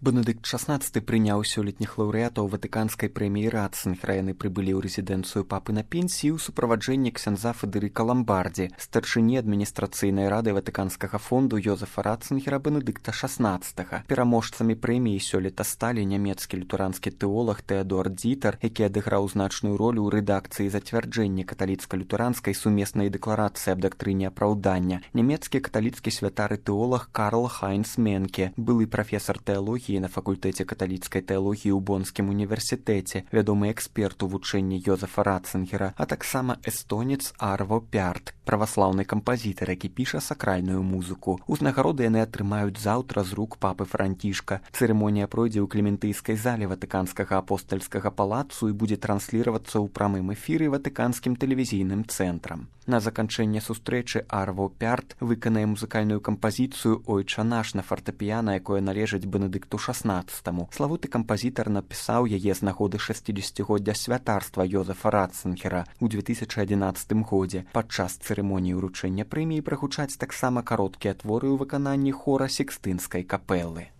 Бенедыкт XVI прыняў сёлетніх лаўрэатаў ватыканскай прэміі Ратцынгера. Яны прыбылі ў рэзідэнцыю папы на пенсіі ў суправаджэнні ксяндза Федэрыка Ламбардзі, старшыні адміністрацыйнай рады ватыканскага фонду Йозефа Ратцынгера Бенедыкта XVI. Пераможцамі прэміі сёлета сталі нямецкі лютеранскі тэолаг Тэадор Дзітар, які адыграў значную ролю ў рэдакцыі зацвярджэння каталіцка-лютэранскай сумеснай дэкларацыі аб дактрыне апраўдання, нямецкі каталіцкі святар і тэолаг Карл Хайнц Менке, былы прафесар тэалогіі на факультэце каталіцкай тэалогіі ў Бонскім універсітэце, вядомы эксперт у вучэнні Йозефа Ратцынгера, а таксама эстонец Арво Пярт, праваслаўны кампазітар, які піша сакральную музыку. Узнагароды яны атрымаюць заўтра з рук папы Францішка. Цырымонія пройдзе ў Клементыйскай зале Ватыканскага апостальскага палацу і будзе трансліравацца ў прамым эфіры ватыканскім тэлевізійным цэнтрам. На заканчэнне сустрэчы Арво Пярт выканае музыкальную кампазіцыю «Ойча наш» на фартэпіяна, якое належыць Бенедыкту XVI. Славуты кампазітар напісаў яе з нагоды 60-годдзя святарства Йозефа Ратцынгера ў 2011 годзе. Падчас цырымоніі ўручэння прэміі прагучаць таксама кароткія творы ў выкананні хора Сікстынскай капэлы.